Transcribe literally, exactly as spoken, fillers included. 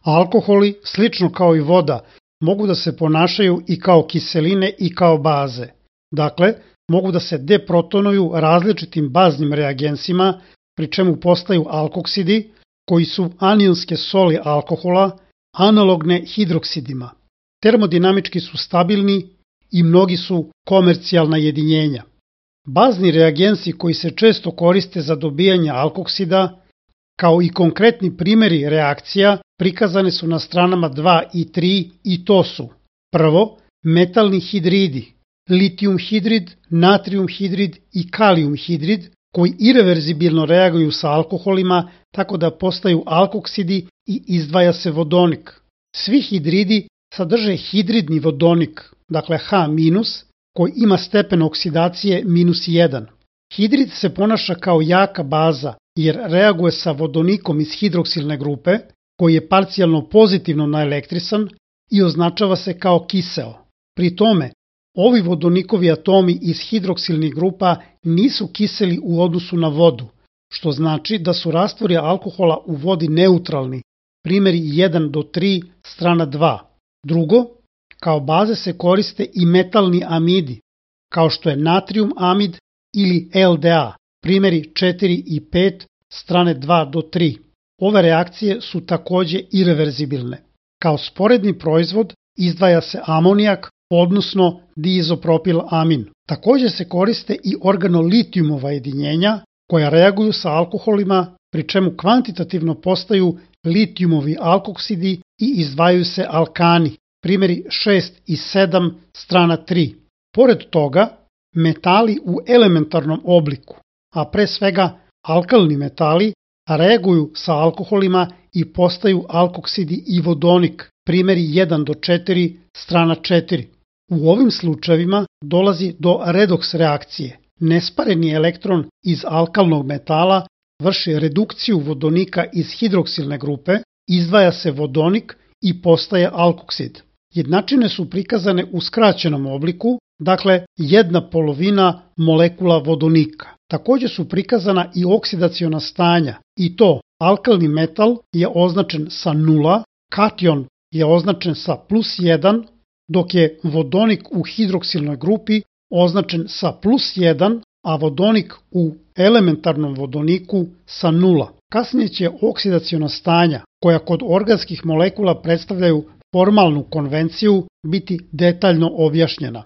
Alkoholi, slično kao i voda, mogu da se ponašaju i kao kiseline i kao baze. Dakle, mogu da se deprotonuju različitim baznim reagensima, pri čemu postaju alkoksidi, koji su anionske soli alkohola, analogne hidroksidima. Termodinamički su stabilni i mnogi su komercijalna jedinjenja. Bazni reagensi koji se često koriste za dobijanje alkoksida, kao i konkretni primjeri reakcija, prikazane su na stranama dva i tri i to su: prvo, metalni hidridi, litijum hidrid, natrium hidrid i kalijum hidrid, koji ireverzibilno reaguju sa alkoholima tako da postaju alkoksidi i izdvaja se vodonik. Svi hidridi sadrže hidridni vodonik, dakle H-, koji ima stepen oksidacije minus jedan. Hidrid se ponaša kao jaka baza jer reaguje sa vodonikom iz hidroksilne grupe, koji je parcijalno pozitivno naelektrisan i označava se kao kiseo. Pri tome, ovi vodonikovi atomi iz hidroksilnih grupa nisu kiseli u odnosu na vodu, što znači da su rastvori alkohola u vodi neutralni, primjeri jedan do tri, strana dva. Drugo, kao baze se koriste i metalni amidi, kao što je natrium amid ili L D A, primjeri četiri i pet, strane dva do tri. Ove reakcije su takođe ireverzibilne. Kao sporedni proizvod izdvaja se amonijak, odnosno diizopropilamin. Takođe se koriste i organolitijumova jedinjenja koja reaguju sa alkoholima, pri čemu kvantitativno postaju litijumovi alkoksidi i izdvajaju se alkani, primjeri šest i sedam, strana tri. Pored toga, metali u elementarnom obliku, a pre svega alkalni metali, reaguju sa alkoholima i postaju alkoksidi i vodonik, primjeri jedan do četiri, strana četiri. U ovim slučajevima dolazi do redoks reakcije. Nespareni elektron iz alkalnog metala vrši redukciju vodonika iz hidroksilne grupe, izdvaja se vodonik i postaje alkoksid. Jednačine su prikazane u skraćenom obliku, dakle jedna polovina molekula vodonika. Takođe su prikazana i oksidaciona stanja, i to alkalni metal je označen sa nula, kation je označen sa plus jedan, dok je vodonik u hidroksilnoj grupi označen sa plus jedan, a vodonik u elementarnom vodoniku sa nula. Kasnije će oksidaciona stanja, koja kod organskih molekula predstavljaju formalnu konvenciju, biti detaljno objašnjena.